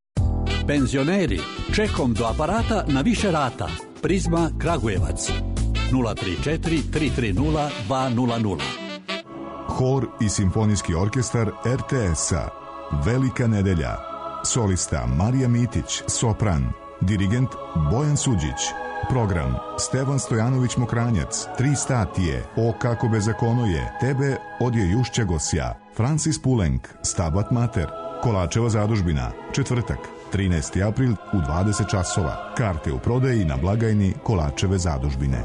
Penzioneri. Čekom do aparata na više rata. Prizma Kragujevac. nula tri četiri tri tri nula dva nula nula. Hor i simfonijski orkestar er te es-a. Velika nedelja. Solista Marija Mitić, sopran. Dirigent Bojan Suđić. Program Stevan Stojanović Mokranjac, Tri statije, O kako bezakono je, Tebe odje Jušća Gosja. Francis Pulenk, Stabat Mater. Kolačeva zadužbina, četvrtak, trinaesti april u dvadeset časova. Karte u prodaji na blagajni Kolačeve zadužbine.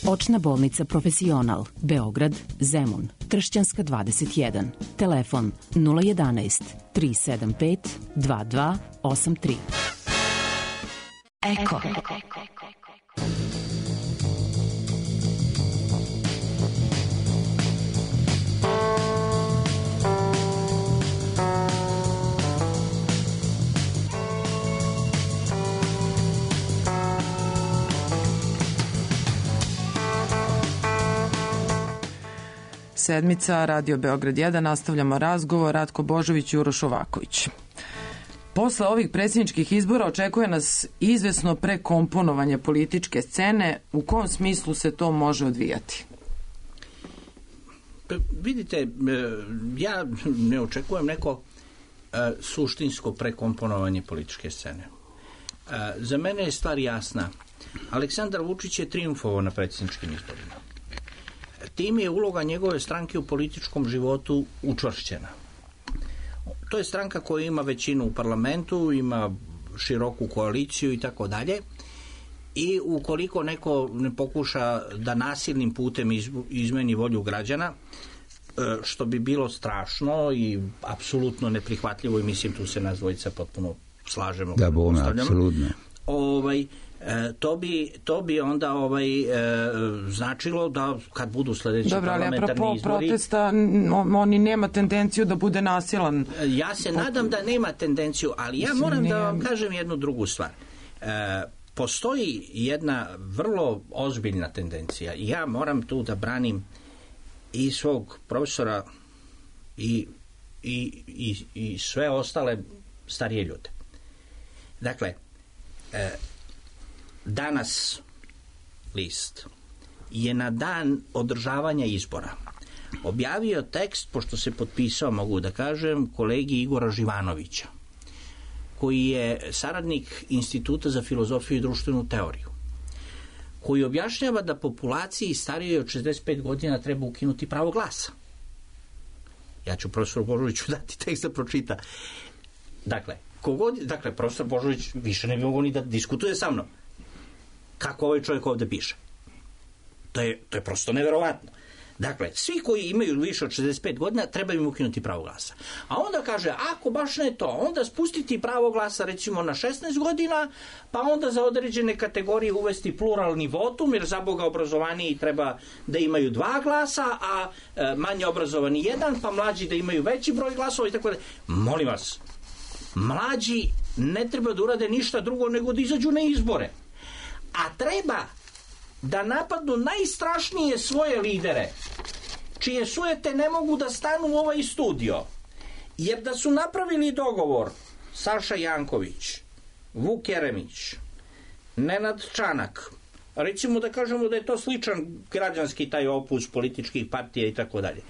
Očna bolnica Profesional, Beograd, Zemun, Kršćanska dvadeset jedan. Telefon nula jedanaest tri sedam pet dva dva osam tri. Eko. Sedmica, Radio Beograd jedan, nastavljamo razgovor, Ratko Božović i Uroš Ovaković. Posle ovih predsjedničkih izbora očekuje nas izvesno prekomponovanje političke scene. U kom smislu se to može odvijati? Pa, vidite, ja ne očekujem neko a, suštinsko prekomponovanje političke scene. A, za mene je stvar jasna. Aleksandar Vučić je trijumfovao na predsjedničkim izborima. Tim je uloga njegove stranke u političkom životu učvršćena. To je stranka koja ima većinu u parlamentu, ima široku koaliciju i tako dalje. I ukoliko neko ne pokuša da nasilnim putem izmeni volju građana, što bi bilo strašno i apsolutno neprihvatljivo, i mislim tu se nas dvojica potpuno slažemo. Da, bome, apsolutno. Ovaj, to bi, to bi onda ovaj, e, značilo da kad budu sljedeći Dobro, parlamentarni izbori... Dobro, ali apropo protesta, oni nema tendenciju da bude nasilan. Ja se Pot... nadam da nema tendenciju, ali ja moram da vam kažem jednu drugu stvar. E, postoji jedna vrlo ozbiljna tendencija i ja moram tu da branim i svog profesora i, i, i, i sve ostale starije ljude. Dakle, e, danas list je na dan održavanja izbora objavio tekst, pošto se potpisao, mogu da kažem, kolegi Igora Živanovića, koji je saradnik Instituta za filozofiju i društvenu teoriju, koji objašnjava da populaciji starijoj od šezdeset pet godina treba ukinuti pravo glasa. Ja ću profesoru Božoviću dati tekst da pročita. Dakle, kogod, dakle, profesor Božović više ne bi mogao ni da diskutuje sa mnom. Kako ovaj čovjek ovdje piše. To je, to je prosto neverovatno. Dakle, svi koji imaju više od šezdeset pet godina treba im ukinuti pravo glasa. A onda kaže, ako baš ne to, onda spustiti pravo glasa recimo na šesnaest godina, pa onda za određene kategorije uvesti pluralni votum, jer za Boga obrazovaniji treba da imaju dva glasa, a e, manje obrazovani jedan, pa mlađi da imaju veći broj glasova i tako da. Molim vas, mlađi ne treba da urade ništa drugo nego da izađu na izbore. A treba da napadnu najstrašnije svoje lidere, čije sujete ne mogu da stanu u ovaj studio Jer da su napravili dogovor Saša Janković, Vuk Jeremić, Nenad Čanak, recimo da kažemo da je to sličan građanski taj opus političkih partija i tako dalje,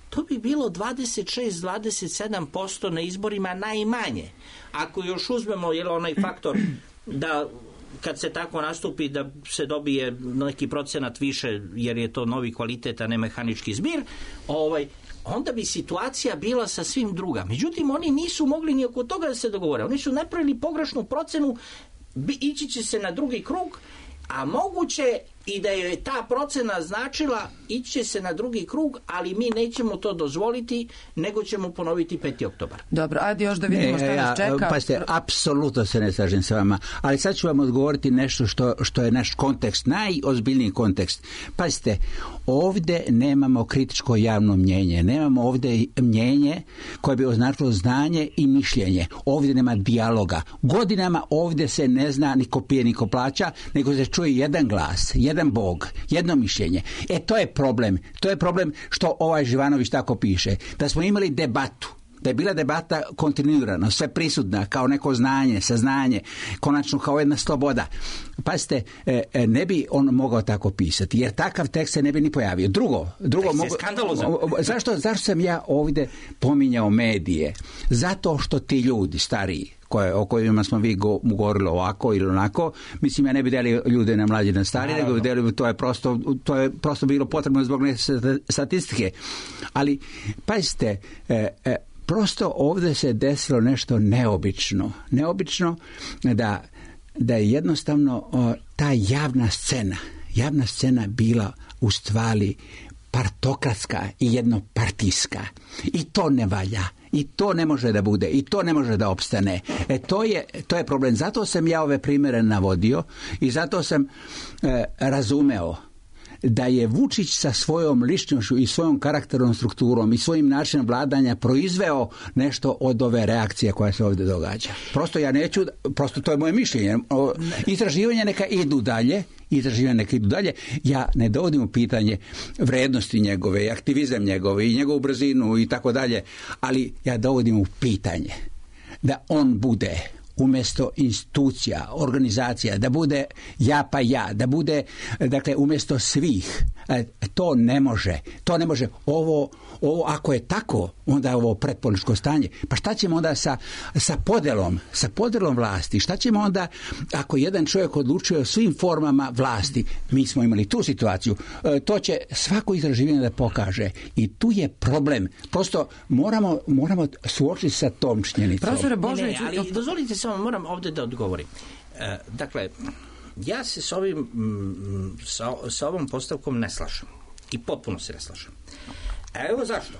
to bi bilo dvadeset šest do dvadeset sedam posto na izborima najmanje. Ako još uzmemo jel, onaj faktor da kad se tako nastupi da se dobije neki procenat više jer je to novi kvalitet, a ne mehanički zbir, ovaj, onda bi situacija bila sasvim druga. Međutim, oni nisu mogli ni oko toga da se dogovore. Oni su napravili pogrešnu procenu, ići će se na drugi krug, a moguće i da je ta procena značila ići će se na drugi krug, ali mi nećemo to dozvoliti, nego ćemo ponoviti peti oktobar. Dobro, ajde još da vidimo šta nas čeka. Pa ste, apsolutno se ne slažem sa vama, ali sad ću vam odgovoriti nešto što, što je naš kontekst, najozbiljniji kontekst. Pazite, ovdje nemamo kritičko javno mnjenje, nemamo ovdje mnjenje koje bi označilo znanje i mišljenje. Ovdje nema dijaloga. Godinama ovdje se ne zna ni ko pije, ni ko plaća, nego se čuje jedan glas, jedan Bog, jedno mišljenje. E, to je problem. To je problem što ovaj Živanović tako piše. Da smo imali debatu, da je bila debata kontinuirano, sve prisutna, kao neko znanje, saznanje, konačno kao jedna sloboda. Pazite, ne bi on mogao tako pisati, jer takav tekst se ne bi ni pojavio. Drugo, drugo mogu, zašto, zašto sam ja ovdje pominjao medije? Zato što ti ljudi, stariji, koje, o kojima smo vi go, govorili ovako ili onako, mislim, ja ne bi delio ljude na mlađe na stari, nego bi delio, to je prosto, to je prosto bilo potrebno zbog neke statistike. Ali, pazite, e, e, prosto ovdje se desilo nešto neobično. Neobično da, da je jednostavno o, ta javna scena, javna scena bila u stvari partokratska i jednopartijska. I to ne valja. I to ne može da bude. I to ne može da opstane. E, to je, to je problem. Zato sam ja ove primjere navodio i zato sam e, razumeo da je Vučić sa svojom ličnošću i svojom karakternom strukturom i svojim načinom vladanja proizveo nešto od ove reakcije koja se ovdje događa. Prosto ja neću, prosto to je moje mišljenje. Istraživanja neka idu dalje, istraživanja neka idu dalje. Ja ne dovodim u pitanje vrednosti njegove, aktivizam njegove i njegovu brzinu i tako dalje, ali ja dovodim u pitanje da on bude umjesto institucija, organizacija, da bude ja pa ja, da bude, dakle, umjesto svih. To ne može. To ne može. Ovo, ovo ako je tako, onda je ovo pretpolitičko stanje. Pa šta ćemo onda sa, sa podelom, sa podelom vlasti? Šta ćemo onda ako jedan čovjek odlučuje o svim formama vlasti? Mi smo imali tu situaciju. To će svako istraživanje da pokaže. I tu je problem. Prosto moramo, moramo suočiti sa tom činjenicom. Profesore Božović, ne, ali dozvolite samo, moram ovdje da odgovorim. E, dakle, ja se s ovim, sa, sa ovom postavkom ne slažem. I potpuno se ne slažem. A evo zašto.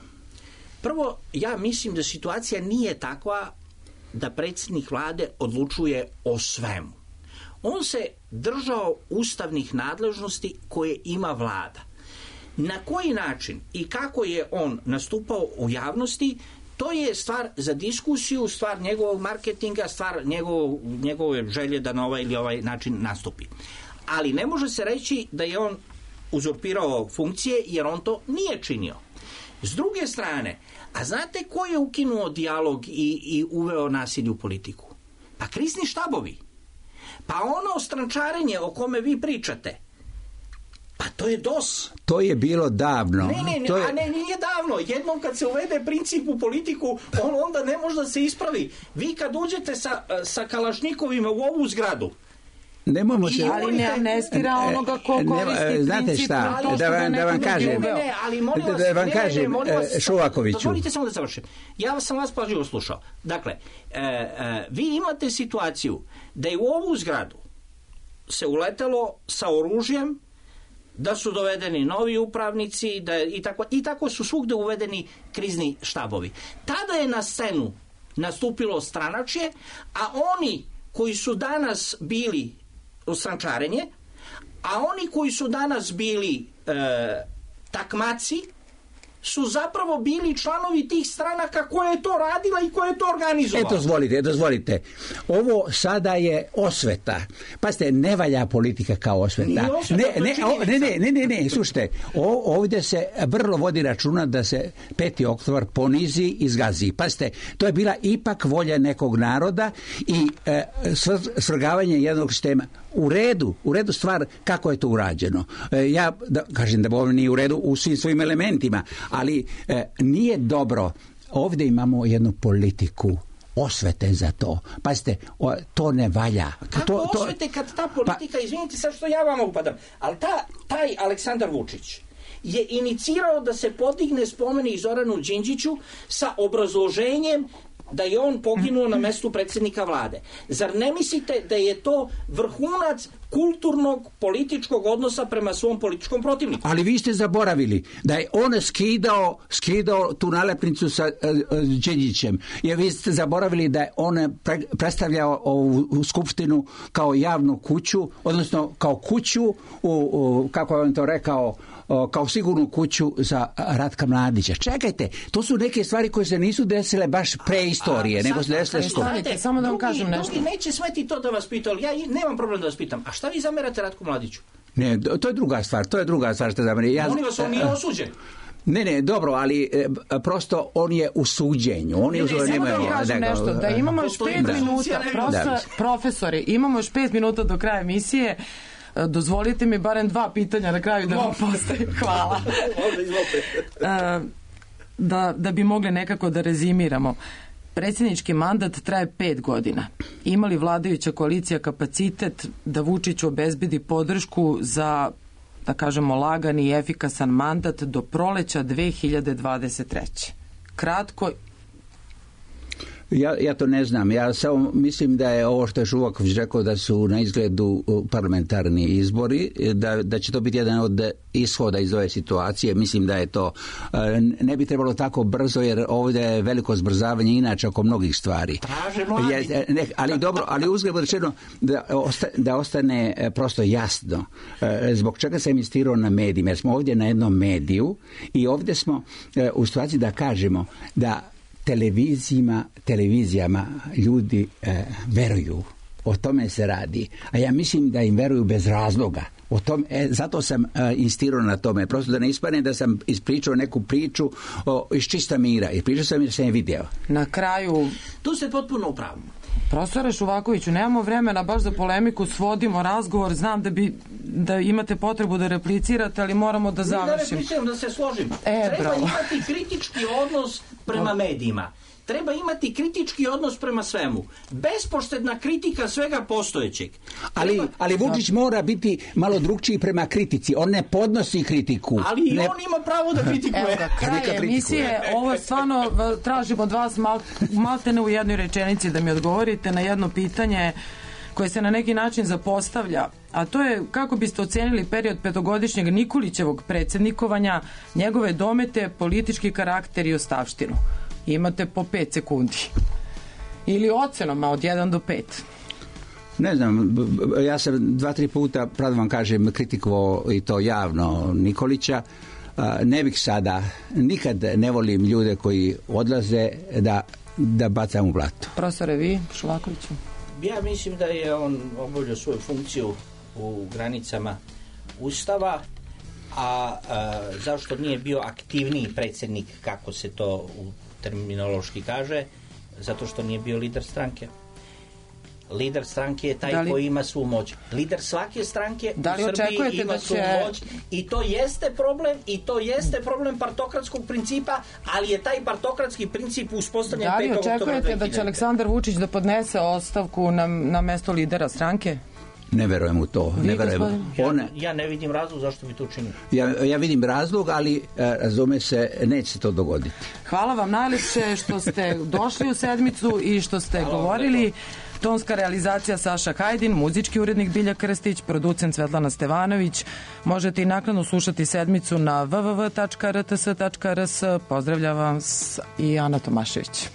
Prvo, ja mislim da situacija nije takva da predsjednik vlade odlučuje o svemu. On se držao ustavnih nadležnosti koje ima vlada. Na koji način i kako je on nastupao u javnosti, to je stvar za diskusiju, stvar njegovog marketinga, stvar njegov, njegove želje da na ovaj ili ovaj način nastupi. Ali ne može se reći da je on uzurpirao funkcije, jer on to nije činio. S druge strane, a znate ko je ukinuo dijalog i, i uveo nasilje u politiku? Pa krizni štabovi. Pa ono strančarenje o kome vi pričate, pa to je D O S. To je bilo davno. Ne, ne, ne, to je... a ne, nije davno. Jednom kad se uvede princip u politiku, on onda ne može da se ispravi. Vi kad uđete sa, sa kalašnikovima u ovu zgradu, Nemojmo se... Ali ne amnestira onoga ko koristi princip. Znate šta, da vam, da vam kažem, ne, ne, ali molim vas, da vam ne, kažem, ne, molim vas, Šovakoviću. Dozvolite samo da završim. Ja sam vas pažljivo slušao. Dakle, e, e, vi imate situaciju da je u ovu zgradu se uletelo sa oružjem, da su dovedeni novi upravnici, da je, i, tako, i tako su svugde uvedeni krizni štabovi. Tada je na scenu nastupilo stranačje, a oni koji su danas bili strančarenje, a oni koji su danas bili e, takmaci, su zapravo bili članovi tih stranaka koja je to radila i koja je to organizovala. E, dozvolite, dozvolite. Ovo sada je osveta. Pazite, ne valja politika kao osveta. Osveta, ne, ne, o, ne, ne, ne, ne, ne, slušajte, o, ovdje se vrlo vodi računa da se peti oktobar ponizi i zgazi. Pazite, to je bila ipak volja nekog naroda i e, svrgavanje jednog sistema. U redu, u redu stvar kako je to urađeno. E, ja da, kažem da ovo nije u redu u svim svojim elementima, ali e, nije dobro. Ovdje imamo jednu politiku osvete za to. Pazite, o, to ne valja. Kako to, to, osvete kad ta politika, pa, izvinite sad što ja vama upadam, ali ta, taj Aleksandar Vučić je inicirao da se podigne spomenik Zoranu Đinđiću sa obrazloženjem da je on poginuo na mestu predsjednika vlade. Zar ne mislite da je to vrhunac kulturnog političkog odnosa prema svom političkom protivniku? Ali vi ste zaboravili da je on skidao, skidao tu nalepnicu sa uh, Đinđićem. Jer vi ste zaboravili da je on pre, predstavljao ovu skupštinu kao javnu kuću, odnosno kao kuću, u, u, kako je on to rekao, kao sigurnu kuću za Ratka Mladića. Čekajte, to su neke stvari koje se nisu desile baš pre istorije, a, nego se desile što. Samo da vam kažem nešto. Drugi neće smeti to da vas pita, ali ja nemam problem da vas pitam. A šta vi zamerate Ratku Mladiću? Ne, to je druga stvar, to je druga stvar što zamerate. Ja, Molim vas, on nije osuđen. Ne, ne, dobro, ali e, prosto on je u suđenju. On je ne, ne, samo da vam kažem da, nešto, da imamo još pet da. minuta, prosto, da. profesori, imamo još pet minuta do kraja emisije. Dozvolite mi barem dva pitanja na kraju da vam postavim. Hvala. da, da bi mogli nekako da rezimiramo. Predsjednički mandat traje pet godina. Ima li vladajuća koalicija kapacitet da Vučiću obezbedi podršku za, da kažemo, lagani i efikasan mandat do proleća dve hiljade dvadeset treće? Kratko. Ja, ja to ne znam. Ja samo mislim da je ovo što je Žuvaković rekao da su na izgledu parlamentarni izbori, da, da će to biti jedan od ishoda iz ove situacije. Mislim da je to ne bi trebalo tako brzo jer ovdje je veliko zbrzavanje inače oko mnogih stvari. Traže mladi. Ja, ne, ali dobro, ali uzgled rečeno da, osta, da ostane prosto jasno zbog čega sam insistirao na medijima. Jer smo ovdje na jednom mediju i ovdje smo u situaciji da kažemo da televizijama, televizijama ljudi e, veruju. O tome se radi. A ja mislim da im veruju bez razloga. O tom, e, zato sam e, insistirao na tome. Prosto da ne ispadne da sam ispričao neku priču o, iz čista mira. I pričao sam jer sam je video. Na kraju... Tu ste potpuno u pravu. Profesore Šuvakoviću, nemamo vremena baš za polemiku, svodimo razgovor, znam da bi da imate potrebu da replicirate, ali moramo da završimo. Ne da repliciram, da se složim. E, Treba bravo. imati kritički odnos prema medijima. Treba imati kritički odnos prema svemu. Bespoštedna kritika svega postojećeg. Ali, Treba... ali Vučić mora biti malo drugčiji prema kritici. On ne podnosi kritiku. Ali i ne... on ima pravo da kritikuje. Evo ga, kraj emisije. Ovo stvarno tražim od vas mal, maltene u jednoj rečenici da mi odgovorite na jedno pitanje koje se na neki način zapostavlja, a to je kako biste ocenili period petogodišnjeg Nikolićevog predsjednikovanja, njegove domete, politički karakter i ostavštinu. Imate po pet sekundi. Ili ocenoma od jedan do pet. Ne znam, ja sam dva, tri puta, pravda vam kažem, kritikovao i to javno Nikolića. Ne bih sada, nikad ne volim ljude koji odlaze da, da bacam u blato. Profesore, vi, Šuvakoviću? Ja mislim da je on obavljao svoju funkciju u granicama Ustava, a, a zašto nije bio aktivniji predsjednik, kako se to u terminološki kaže, zato što nije bio lider stranke. Lider stranke je taj li, koji ima svu moć. Lider svake stranke da li u Srbiji ima da svu će... moć i to jeste problem i to jeste problem partokratskog principa, ali je taj partokratski princip uspostavljen petog oktobra dve hiljade. Da li očekujete da će Aleksandar Vučić da podnese ostavku na, na mesto lidera stranke? Ne verujem u to. Ne verujem. Ja, ja ne vidim razlog zašto bi to učinio. Ja, ja vidim razlog, ali razume se, neće se to dogoditi. Hvala vam najljepše što ste došli u sedmicu i što ste Hvala govorili. Tonska realizacija Saša Hajdin, muzički urednik Bilja Krstić, producent Svetlana Stevanović. Možete i naknadno slušati sedmicu na w w w tačka r t s tačka r s. Pozdravljam vas i Ana Tomašević.